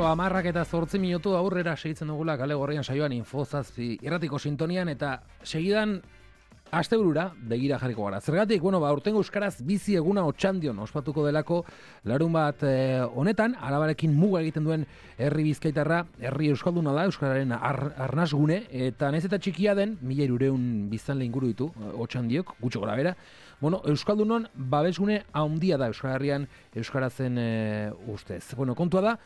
Amarrak eta 8 minutu aurrera segitzen dugula kale gorrian saioan Infozazpi irratiko sintonian eta segidan asteburura begira jarriko gara. Zergatik, aurtengo euskaraz bizi eguna Otxandion ospatuko delako larun bat honetan, Arabarekin muga egiten duen herri bizkaitarra, herri euskalduna da, euskararen arnasgune, eta nahiz eta txikia den, 1.200 biztanle inguru ditu Otxandiok, gutxo gora bera. Euskaldunon babesgune handia da Euskal Herrian euskarazen ustez. Kontua da,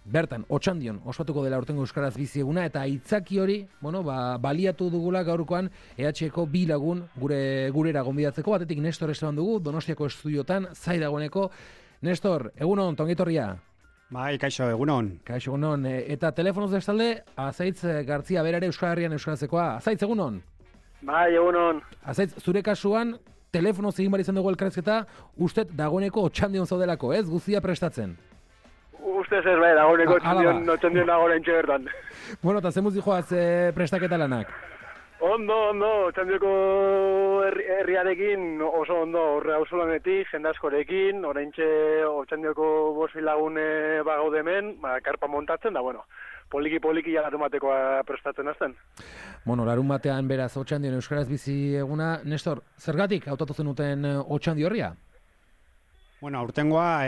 bertan, Otxandion ospatuko dela aurtengo euskaraz bizi eguna eta aitzaki hori, baliatu dugula gaurkoan EH-eko bi lagun gurera gonbidatzeko, batetik Nestor Esteban dugu, Donostiako estudiotan, zai dagoeneko. Nestor, egunon, tongitorria. Bai, kaixo, egunon. Kaixo, egunon. Eta telefonoz bestalde, Azaitz Gartzia berare Euskal Herrian euskarazekoa. Azaitz, egunon. Bai, egunon. Azaitz, zure kasuan, telefonoz egin bar izan dugu elkarrezketa, ustet dagoeneko Otxandion zaudelako, ez? Guztia prestatzen. Ustez ez bai, dagoeneko Otxandion dagoen bertan. Eta zemuz dijoaz prestaketa lanak? Ondo, Otxandioko herriarekin oso ondo, horre hausolanetik, jendaskorekin, oraintxe Otxandioko bosi lagune bagaude hemen, karpa montatzen da, poliki larun batekoa prestatzen azten. Larun batean beraz Otxandion euskaraz bizi eguna. Nestor, zergatik hautatu zenuten Otxandi horria? Aurtengoa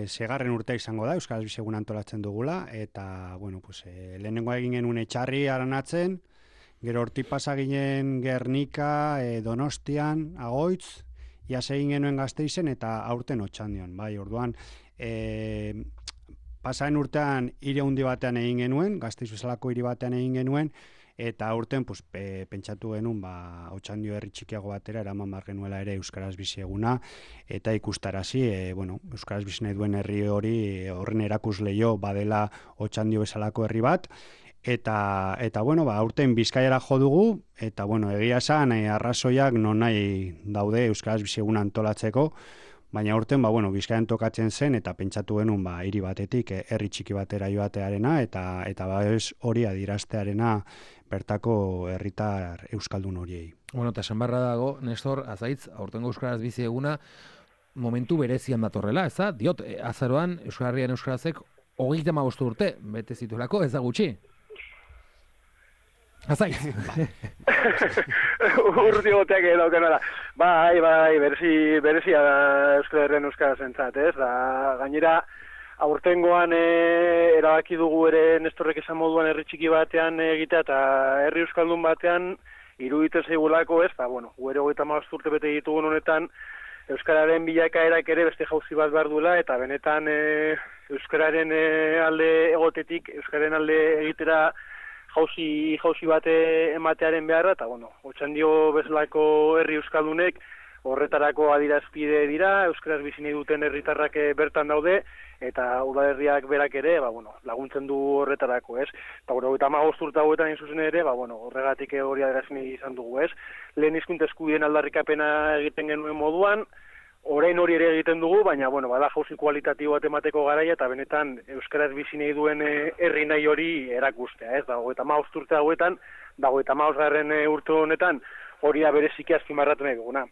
segarren urtea izango da, euskaraz bizi eguna antolatzen dugula, eta, lehenengoa egin genuen Etxarri aranatzen, gero hortik pasa ginen Gernika, Donostian, Agoitz, iaz egin genuen Gasteizen, eta aurten Otxandion, orduan, pasaren urtean hiri handi batean egin genuen, Gasteiz bezalako hiri batean egin genuen, eta aurten pentsatu genuen Otxandio herri txikiago batera eraman bar genuela ere euskaraz bizi eguna, eta ikustarazi, euskaraz bizi nahi duen herri hori horren erakusleio badela Otxandio bezalako herri bat, eta aurten Bizkaiara jo dugu, eta egia esan arrazoiak non nahi daude euskaraz bizi eguna antolatzeko, baina aurten Bizkaian tokatzen zen eta pentsatu genuen hiri batetik herri txiki batera joatearena eta hori adieraztearena bertako herritar euskaldun horiei. Eta esan barra dago, Nestor, Azaitz, aurtengo euskaraz bizi eguna momentu berezian datorrela, ez da? Diot, azaroan Euskal Herrian euskarazek 35 urte bete zituelako, ez da gutxi? Azaitz. Urti goteak edaukenara. Bai, berezia da Euskal Herrian euskarazentzat, ez? Gainera, aurtengoan erabaki dugu ere Nestorrek esan moduan herri txiki batean egitea eta herri euskaldun batean iruditzen zaigulako, ez? Gure 35 urte bete ditugun honetan euskararen bilakaerak ere beste jauzi bat behar duela eta benetan euskararen alde egotetik, euskararen alde egitera jauzi bate ematearen beharra, eta Otxandio bezalako herri euskaldunek horretarako adirazpide dira, euskaraz bizi nahi duten herritarrak bertan daude, eta udalerriak berak ere, laguntzen du horretarako, ez? Eta 35 urte hauetan zuzen ere, horregatik hori adierazten izan dugu, ez? Lehen hizkuntza eskubideen aldarrikapena egiten genuen moduan, orain hori ere egiten dugu, baina, bada jauzi kualitatibo bat emateko garaia, eta benetan euskaraz bizi nahi duen herri nahi hori erakustea, ez? 35 urte hauetan, 35 urte honetan, hori da bereziki azpimarratu nahi duguna.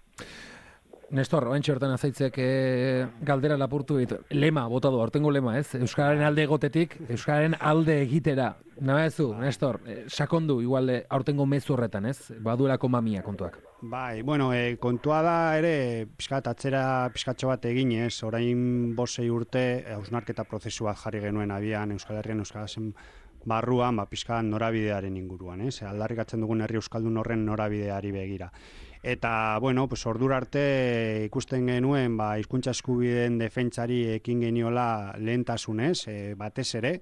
Nestor, oantxe hortan Azaitzek galdera lapurtu ditu. Lema, bota du, aurtengo lema, ez? Euskararen alde egotetik, Euskararen alde egitera. Nabezu, Nestor, sakondu, igual aurtengo mezu horretan, ez? Baduelako mamia kontuak. Bai, kontua da ere, pizkatxo bat egin, ez? Orain 5-6 urte, hausnarketa prozesu bat jarri genuen abian Euskal Herrian euskarazen barruan, pizkat norabidearen inguruan, ez? Aldarrikatzen dugun herri euskaldun horren norabideari begira. Eta, ordura arte ikusten genuen, hizkuntza eskubideen defentsari ekin geniola lehentasunez, batez ere,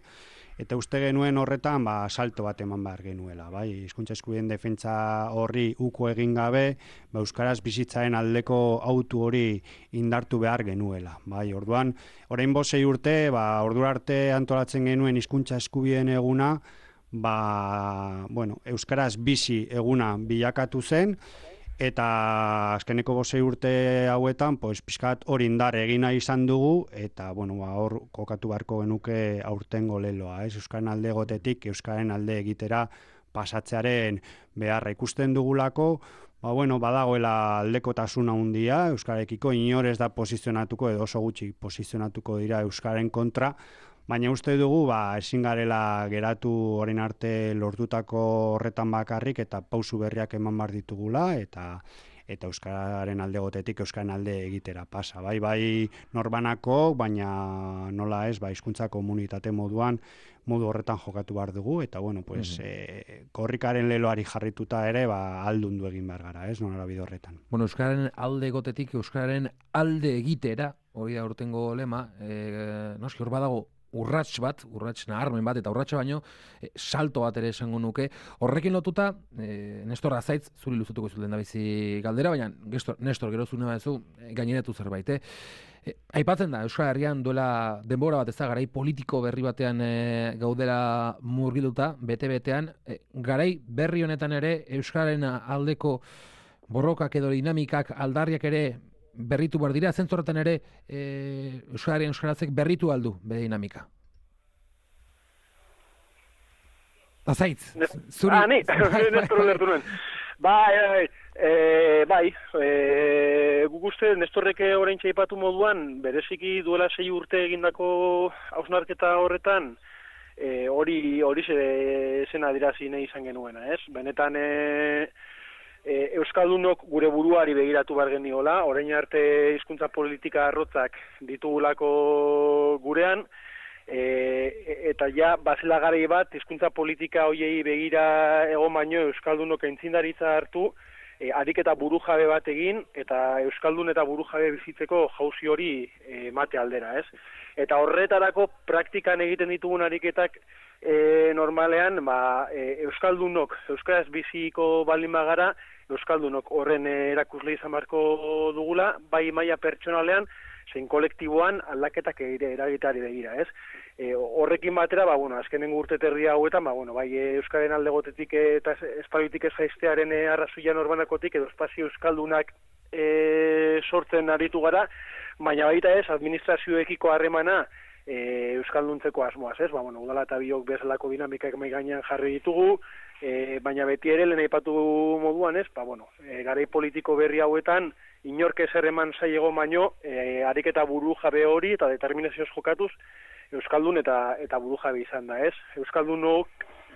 eta uste genuen horretan, salto bat eman behar genuela, hizkuntza eskubideen defentsa horri uko egin gabe, euskaraz bizitzaren aldeko autu hori indartu behar genuela, orduan, orain 5-6 urte, ordura arte antolatzen genuen hizkuntza eskubideen eguna, euskaraz bizi eguna bilakatu zen, eta azkeneko 5 urte hauetan, pizkat hori indar egina izan dugu, eta hor kokatu beharko genuke aurtengo leloa, Euskaren alde egotetik, Euskaren alde egitera pasatzearen beharra ikusten dugulako, badagoela aldekotasuna handia, euskarekiko inor ez da posizionatuko edo oso gutxi posizionatuko dira euskaren kontra, Baina uste dugu, ezin garela geratu orain arte lortutako horretan bakarrik eta pausu berriak eman behar ditugula eta euskararen alde gotetik euskararen alde egitera pasa. Bai norbanako, baina nola ez, hizkuntza komunitate modu horretan jokatu behar dugu, eta bueno, pues, korrikaren leloari jarrituta ere, aldundu egin behar gara, ez, nolara bide horretan. Bueno, euskararen alde gotetik, euskararen alde egitera, hori da urtengo lema, noski hor badago, urrats naharmen bat, eta urratsa baino, salto bat ere esango nuke. Horrekin lotuta, Nestor Azaitz, zuri luzatuko zuten da bizi galdera, baina Nestor, gero zune badezu, gaineratu zerbait, Aipatzen da, Euskal Herrian duela denbora bat ez da, garai politiko berri batean gaudela murgilduta, bete-betean, garai berri honetan ere, Euskararen aldeko borrokak edo dinamikak, aldarriak ere, berritu behar dira, zentzorretan ere Euskarazek berritu aldu bere dinamika. Azaitz, zuri... Ni, Nestor lertu nuen. Guk uste, Nestorrek orain txaipatu moduan, bereziki duela 6 urte egindako hausnarketa horretan, hori zen adirazi nahi izan genuena, ez? Benetan... Euskaldunok gure buruari begiratu behar geniola, orain arte hizkuntza politika arrotzak ditugulako gurean, eta ja, bazela garai bat, hizkuntza politika hoiei begira egon baino Euskaldunok aintzindaritza hartu, ariketa burujabe bat egin, eta Euskaldun eta burujabe bizitzeko jauzi hori mate aldera, ez? Eta horretarako praktikan egiten ditugun ariketak normalean, Euskaldunok, Euskaraz biziko baldin bagara, Euskaldunok horren erakusle izan beharko dugula, bai maila pertsonalean, zein kolektiboan aldaketak eragiteari begira, ez? Horrekin batera, azkenengo urte terdi hauetan, bai Euskaren alde gotetik eta espaziotik ez jaiztearen arrazoia norbanakotik edo espazio Euskaldunak sortzen aritu gara, baina baita ez, administrazioekiko harremana Euskalduntzeko asmoaz, ez? Udala eta biok bezalako dinamikak mai gainean jarri ditugu, baina beti ere lehen aipatu moduan, ez? Garai politiko berri hauetan, inork ezer eman zaiego baino, ariketa buru jabe hori eta determinazioz jokatuz, Euskaldun eta buru jabe izan da, ez? Euskaldunok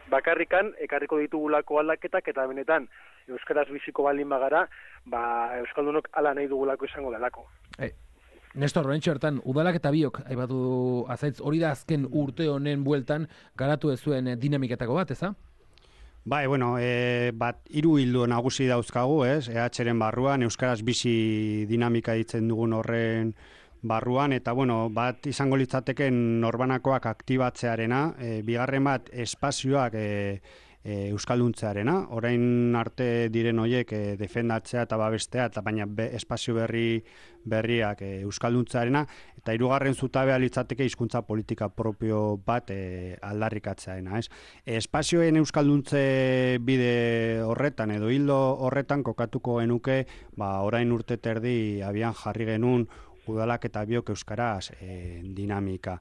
bakarrikan ekarriko ditugulako aldaketak eta benetan Euskaraz biziko baldin bagara, Euskaldunok ala nahi dugulako izango delako. Nestor, horrentxo hartan, udalak eta biok, aipatu Azaitz, hori da azken urte honen bueltan garatu ez zuen dinamiketako bat, eza? Hiru ildo nagusi dauzkagu, ez? EH-ren barruan, Euskaraz bizi dinamika ditzen dugun horren barruan, eta bat izango litzateken norbanakoak aktibatzearena, bigarren bat espazioak Euskalduntzearena, orain arte diren horiek defendatzea eta babestea, eta baina espazio berriak Euskalduntzearena, eta hirugarren zutabea litzateke hizkuntza politika propio bat aldarrikatzearena, ez? Espazioen Euskalduntze bide horretan edo hildo horretan kokatuko genuke, orain urte terdi abian jarri genuen udalak eta biok euskaraz dinamika.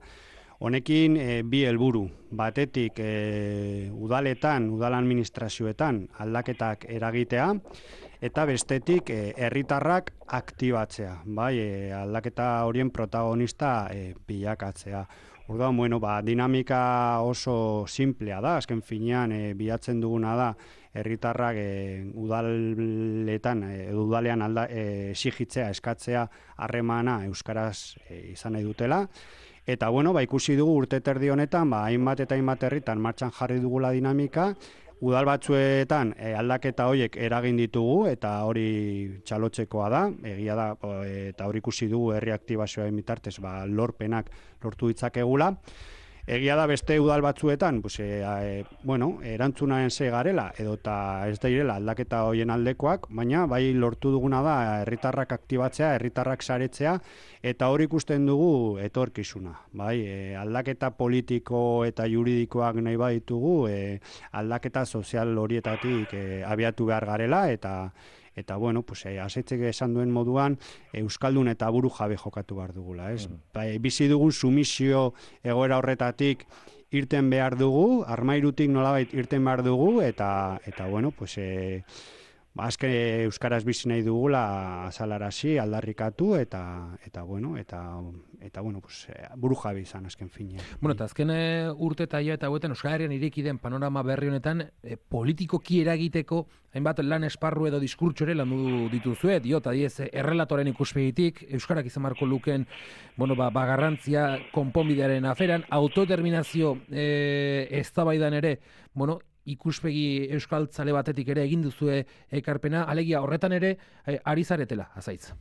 Honekin bi helburu, batetik udaletan, udal administrazioetan aldaketak eragitea, eta bestetik herritarrak aktibatzea, aldaketa horien protagonista bilakatzea. Orduan, dinamika oso simplea da, azken finean bilatzen duguna da, herritarrak udalean exigitzea, eskatzea harremana euskaraz izan nahi dutela. Eta, ikusi dugu urte terdi honetan, hainbat eta hainbat herritan martxan jarri dugula dinamika, udal batzuetan aldaketa horiek eragin ditugu, eta hori txalotzekoa da, egia da, eta hori ikusi dugu herri aktibazioaren bitartez, lorpenak lortu ditzakegula. Egia da beste udal batzuetan, erantzunaren ze garela, edo eta ez da irela aldaketa horien aldekoak, baina bai lortu duguna da herritarrak aktibatzea, herritarrak saretzea, eta hori ikusten dugu etorkizuna. Aldaketa politiko eta juridikoak nahi baditugu, aldaketa sozial horietatik abiatu behar garela, eta Azaitzek esan duen moduan, Euskaldun eta buru jabe jokatu behar dugula, ez? Bizi dugun sumisio egoera horretatik irten behar dugu, armairutik nolabait irten behar dugu, eta azken euskaraz bizi nahi dugula azalarazi, aldarrikatu eta bueno, pues buru jabe izan azken finean. Bueno, eta azken urte eta eta hauetan Euskal Herrian ireki den panorama berri honetan politikoki eragiteko hainbat lan esparru edo diskurtso ere landu dituzue, diot, adiez, errelatoren ikuspegitik, euskarak izan marko luken, bueno, garrantzia konponbidearen aferan, autodeterminazio eztabaidan ere, bueno, ikuspegi euskaltzale batetik ere egin duzue ekarpena, alegia horretan ere ari zaretela, azaitz.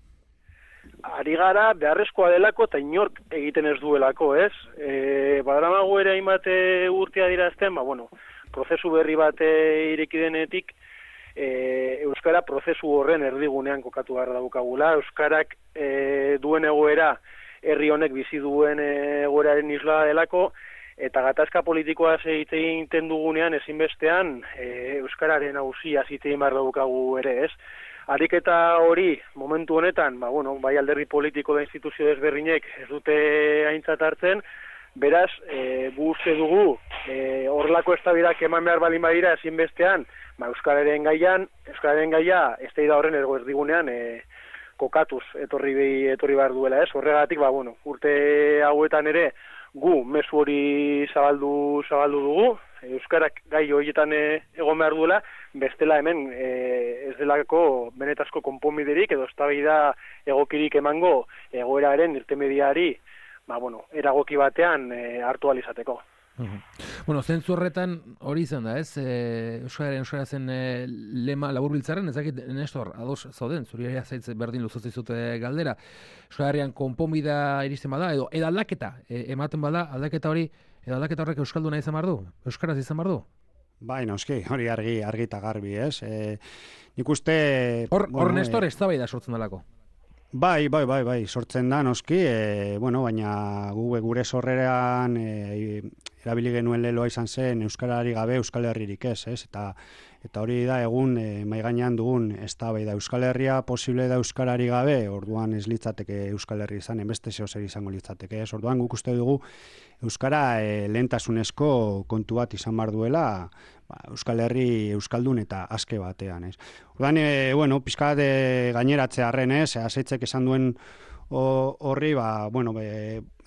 Ari gara beharrezkoa delako eta inork egiten ez duelako, ez? Badaramago ere hainbat urtea dirazten, bueno, prozesu berri bat ireki denetik, euskara prozesu horren erdigunean kokatu behar daukagula. Euskarak duen egoera, herri honek bizi duen egoeraren isla delako, eta gatazka politikoa egiten dugunean ezinbestean euskararen auzia egin behar daukagu ere, ez? Ariketa hori, momentu honetan, bai alderdi politiko da instituzio desberdinek ez dute aintzat hartzen, beraz, gu uste dugu, horrelako eztabaidak eman behar balin badira ezinbestean, euskararen gaia, ez da horren erdigunean kokatuz etorri behar duela, ez? Horregatik, urte hauetan ere, gu mezu hori zabaldu dugu, euskarak gai horietan egon behar duela, bestela hemen ez delako benetazko konponbiderik edo eztabaida egokirik emango egoeraren irtenbideari eragoki batean hartu ahal izateko. Bueno, zentzu horretan hori izan da, ez? Euskara zen lema laburbiltzaren, ezakit Nestor, ados zauden, zuri ere zaitz berdin luzotzi zute galdera. Euskara konponbida iristen bada, edo aldaketa ematen bada, aldaketa horrek euskalduna izan behar du? Euskaraz izan behar du? Bai, noski, hori argi eta garbi, ez? Nik uste... Hor Nestor eztabaida sortzen dalako. Bai, sortzen da, noski, baina gure sorreran erabili genuen leloa izan zen euskarari gabe Euskal Herririk ez? Eta hori da egun maigainean dugun eztabaida Euskal Herria posible da euskarari gabe, orduan ez litzateke Euskal Herri izan, beste zeozer izango litzateke, ez? Orduan guk uste dugu euskara lehentasunezko kontu bat izan behar duela, Euskal Herri euskaldun eta aske batean, ez? Orduan, pizkat gaineratzearren, ez? Azeitzek esan duen horri,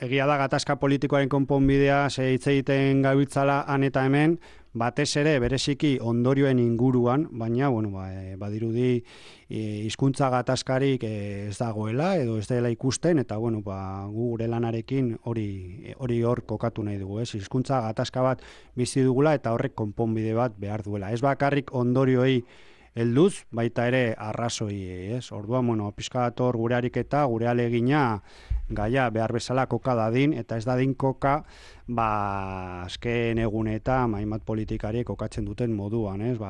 egia da gatazka politikoaren konponbidea hitz egiten gabiltzala han eta hemen, batez ere bereziki ondorioen inguruan, baina badirudi hizkuntza gatazkarik ez dagoela edo ez dela ikusten, eta gu gure lanarekin hori hor kokatu nahi dugu, ez? Hizkuntza gatazka bat bizi dugula eta horrek konponbide bat behar duela. Ez bakarrik ondorioei helduz, baita ere arrazoi, ez? Orduan, pizkat hor gure ariketa, gure alegina gaia behar bezala koka dadin, eta ez dadin koka, azken egunetan hainbat politikari kokatzen duten moduan, ez?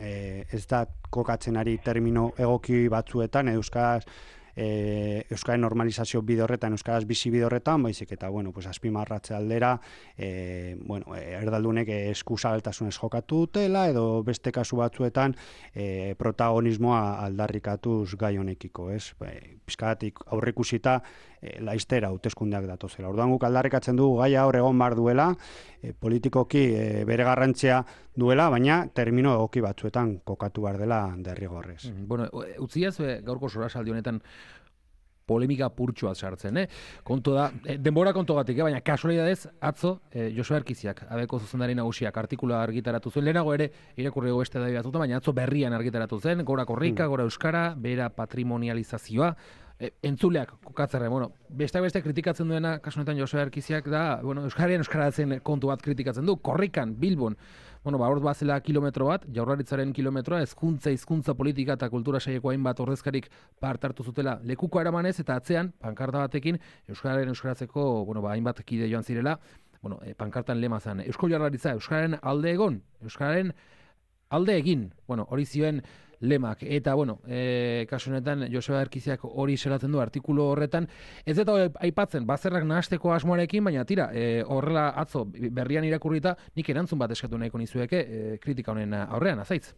Ez da kokatzen ari termino egoki batzuetan, euskaren normalizazio bide horretan, euskaraz bizi bide horretan, baizik eta, azpimarratze aldera, erdaldunek eskuzabaltasunez jokatu dutela, edo beste kasu batzuetan protagonismoa aldarrikatuz gai honekiko, ez? Pizkadatik aurreikusita laiztera hauteskundeak datozela. Orduan guk aldarrikatzen dugu gaia hor egon behar duela, politikoki bere garrantzia duela, baina termino egoki batzuetan kokatu behar dela derrigorrez. Utziaz, gaurko sorasaldi honetan polemika purtsua sartzen, Kontu da, denbora kontogatik, baina kasualidadez, atzo, Joseba Erkiziak, abeko zuzendari nagusiak, artikula argitaratu zuen, lehenago ere, irakurri beste da batuta, baina atzo berrian argitaratu zen, gora korrika, gora euskara, bera patrimonializazioa, entzuleak kokatzerre, beste kritikatzen duena, kasu honetan Joseba Erkiziak da, euskaratzen kontu bat kritikatzen du, korrikan, Bilbon, hor bazela kilometro bat, Jaurlaritzaren kilometroa, hizkuntza politika eta kultura saileko hainbat ordezkarik parte hartu zutela lekuko eramanez, eta atzean, pankarta batekin, euskaratzeko, hainbat kide joan zirela, pankartan lema zen, Eusko Jaurlaritza, euskararen alde egon, euskararen alde egin, hori zioen lemak, eta kasu honetan Joseba Erkiziak hori selatzen du artikulu horretan, ez eta aipatzen bazerrak nahasteko asmoarekin, baina tira, horrela atzo berrian irakurrita, nik erantzun bat eskatu nahiko nizueke kritika honen aurrean, azaitz?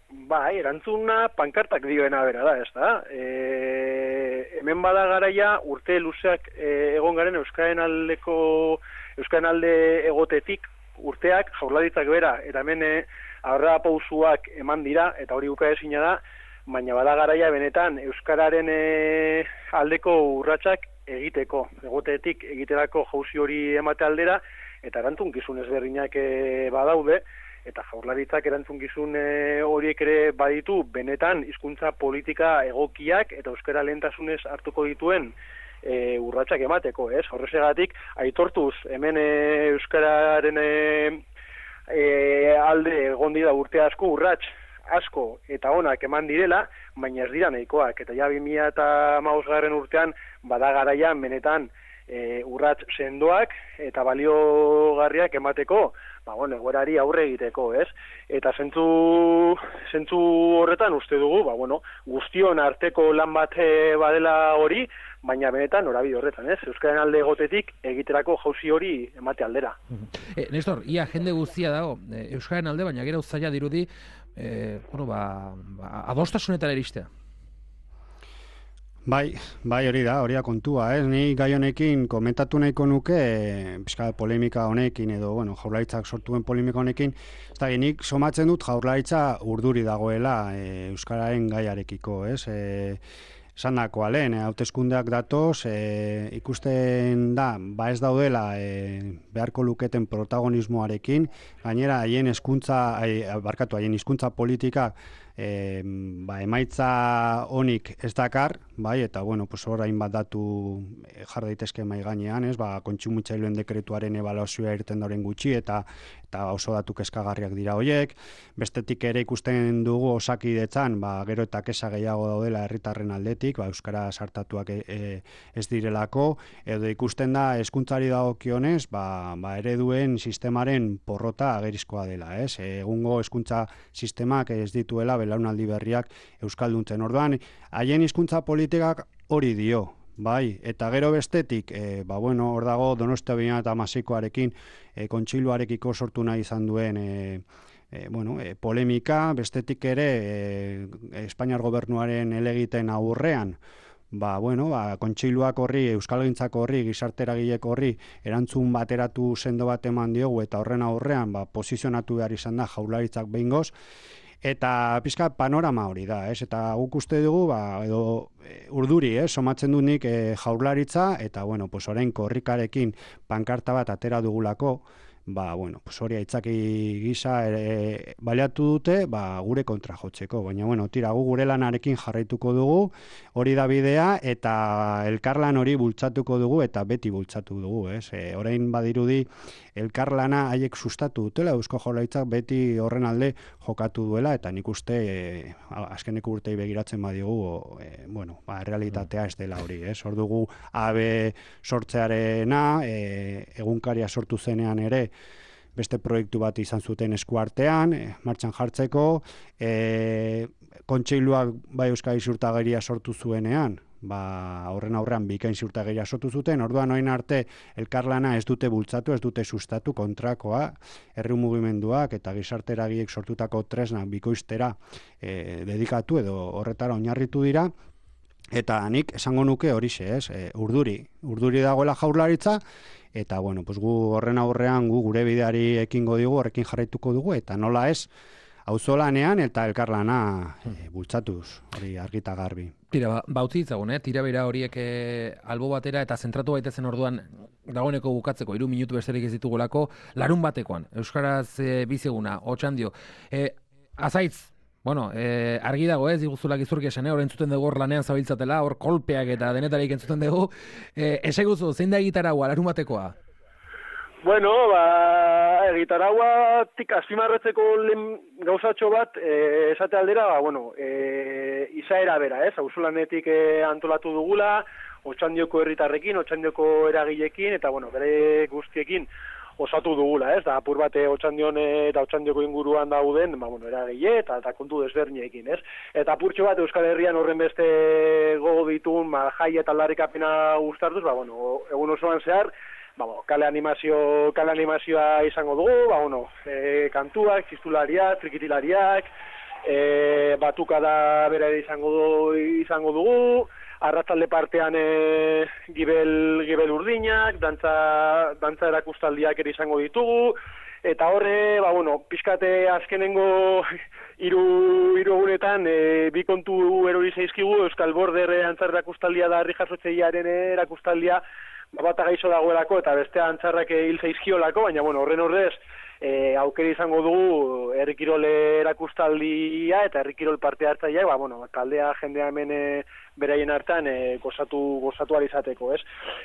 Bai, erantzuna pankartak dioena bera da, ez da? Hemen bada garaia urte luzeak egon garen euskaren alde egotetik, urteak Jaurlaritzak bera eta hemen aurrera pausuak eman dira eta hori ukaezina da, baina bada garaia benetan euskararen aldeko urratsak egiteko, egotetik egiterako jauzi hori emate aldera eta erantzukizun ezberdinak badaude. Eta Jaurlaritzak erantzukizun horiek ere baditu benetan hizkuntza politika egokiak eta euskara lehentasunez hartuko dituen urratsak emateko, ez? Horregatik aitortuz hemen euskararen alde egon dira urte asko urrats asko eta onak eman direla, baina ez dira nahikoak eta ja 2015 urtean bada garaian benetan urrats sendoak eta baliogarriak emateko, egoerari aurre egiteko, ez? Eta zentzu horretan uste dugu, guztion arteko lan bat badela hori, baina benetan norabide horretan, ez? Euskararen alde egotetik egiterako jauzi hori emate aldera. Nestor, ia jende guztia dago euskararen alde, baina gero zaila dirudi adostasunetara iristea. Bai, hori da kontua, ez? Ni gai honekin komentatu nahiko nuke, polemika honekin edo, Jaurlaritzak sortuen polemika honekin, nik somatzen dut Jaurlaritza urduri dagoela euskararen gaiarekiko, ez? Esandakoa lehen, hauteskundeak datoz, ikusten da, ez daudela beharko luketen protagonismoarekin, gainera haien hizkuntza politika emaitza honik ez dakar, eta orain bat datu jar daitezke mahai gainean, kontsumitzaileen dekretuaren ebaluazioa irten dauren gutxi eta oso datu kezkagarriak dira horiek. Bestetik ere ikusten dugu Osakidetzan, gero eta kesa gehiago daudela herritarren aldetik, euskara sartatuak ez direlako, edo ikusten da hezkuntzari dagokionez, ereduen sistemaren porrota agerizkoa dela, ez? Egungo hezkuntza sistemak ez dituela belaunaldi berriak euskalduntzen. Orduan, haien hizkuntza politikak hori dio, eta gero bestetik, hor dago Donostia 2016koarekin kontseiluarekiko sortu nahi izan duen polemika, bestetik ere Espainiar gobernuaren helegiten aurrean, kontseiluak horri, euskalgintzako horri, gizarteragileko horri erantzun bateratu sendo bat eman diogu eta horren aurrean posizionatu behar izan da Jaurlaritzak behingoz. Eta pizka panorama hori da, ez? Eta guk uste dugu, edo urduri, somatzen du nik Jaurlaritza, eta, orain korrikarekin pankarta bat atera dugulako, hori aitzaki gisa baliatu dute, gure kontra jotzeko. Baina, tira, gure lanarekin jarraituko dugu, hori da bidea, eta elkarlan hori bultzatuko dugu, eta beti bultzatu dugu, ez? Orain badirudi, elkarlana haiek sustatu dutela, Eusko Jaurlaritzak beti horren alde jokatu duela, eta nik uste azkeneko urtei begiratzen badigu, realitatea ez dela hori, ez? Hor dugu AB sortzearena, egunkaria sortu zenean ere, beste proiektu bat izan zuten eskuartean, martxan jartzeko, kontseiluak Euskadi Ziurtagiria sortu zuenean, horren aurrean bikain ziurtagiria sortu zuten, orduan orain arte elkarlana ez dute bultzatu, ez dute sustatu kontrakoa, herri mugimenduak eta gizarteragiek sortutako tresnak bikoiztera dedikatu edo horretara oinarritu dira, eta nik esango nuke horixe, ez? Urduri dagoela Jaurlaritza, eta gu horren aurrean gure bideari ekingo digu, horrekin jarraituko dugu, eta nola ez, auzolanean eta elkarlana bultzatuz, hori argita garbi. Tira, utzi ditzagun, tira bera horiek albo batera eta zentratu baitezen orduan dagoeneko bukatzeko, 3 minutu besterik ez ditugulako, larun batekoan, euskaraz biziguna, Otxandio. Azaitz, argi dago ez, diguzula gizurki esan, hor entzuten dugu hor lanean zabiltzatela, hor kolpeak eta denetarik entzuten dugu. Esaiguzu, zein da egitaragua, larun batekoa? Egitarauatik azpimarratzeko gauzatxo bat, esate aldera, izaera bera, ez? Auzolanetik antolatu dugula, Otxandioko herritarrekin, Otxandioko eragilekin, eta, bere guztiekin osatu dugula, ez? Da, apur bate Otxandion eta Otxandioko inguruan dauden, eragile eta kontu desberdinekin, ez? Eta apurtxo bat Euskal Herrian horren beste gogo ditun, jai eta aldarrikapena uztartuz, egun osoan zehar, kale animazioa izango dugu, kantuak, txistulariak, trikitilariak, batukada bera izango dugu, arratzalde partean gibel urdinak, dantza erakustaldiak ere izango ditugu, eta horre, pixkate azkenengo hiru egunetan bi kontu erori zaizkigu, Euskal Border antzar erakustaldia da herri jasotzailearen erakustaldia, bata gaixo dagoelako eta bestea antzarrak hil zaizkiolako, baina horren horrez, aukera izango dugu herri kirol erakustaldia eta herri kirol parte hartzaileak, taldea jendea hemen beraien hartan gozatu ahal izateko, ez?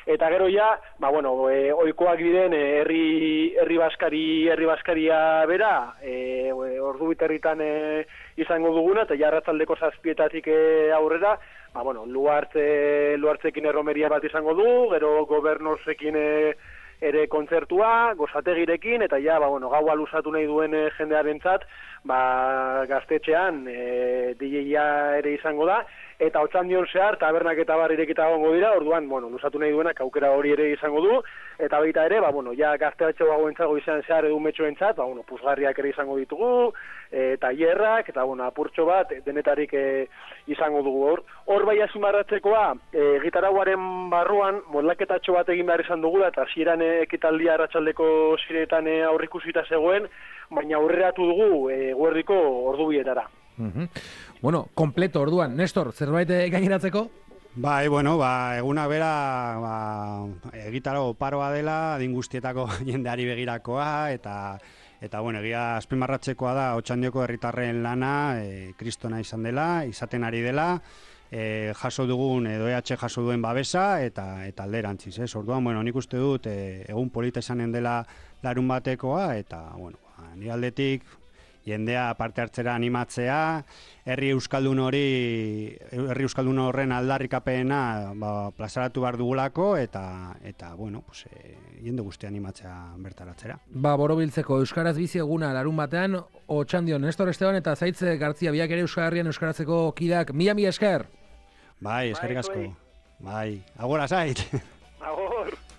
Eta gero ja, ohikoak diren herri baskaria bera, ordu biterritan izango duguna, eta ja arratsaldeko 7:00 aurrera, Luartzekin erromeria bat izango du, gero gobernosekin ere kontzertua, gozategirekin, eta ja, gaua luzatu nahi duen jendearentzat, gaztetxean DJ-a ere izango da, eta Otxandion zehar, tabernak eta bar irekita gongo dira, orduan, luzatu nahi duenak aukera hori ere izango du, eta baita ere, ja gazteatxo gagoentzago izan zehar edu metxoentzat, puzgarriak ere izango ditugu, tailerrak, eta apurtxo bat, denetarik izango dugu. Hor bai azimarratzekoa, gitarauaren barruan, modlaketatxo bat egin behar izan dugula, eta hasieran ekitaldia arratsaldeko ziretan aurrikusita zegoen, baina aurreratu dugu guerdiko ordubietara. Kompleto orduan. Nestor, zerbait gaineratzeko? Eguna bera egitarago paroa dela, adin guztietako jendeari begirakoa, eta egia azpimarratzekoa da Otxandioko herritarren lana, kristona izaten ari dela, jaso dugun, edo EH jaso duen babesa, eta alderantziz, ez? Orduan, nik uste dut, egun polita izanen dela larun batekoa, eta, nire aldetik, jendea parte hartzera animatzea, herri euskaldun horren aldarrikapena plazaratu behar dugulako, eta jende guztia animatzea bertaratzera. Borobiltzeko Euskaraz bizi eguna larun batean, Otxandion, Nestor Esteban eta Zaitze Gartzia biak ere Euskal Herrian euskaratzeko kidak, mila esker! Eskerrik asko. Agora Zait!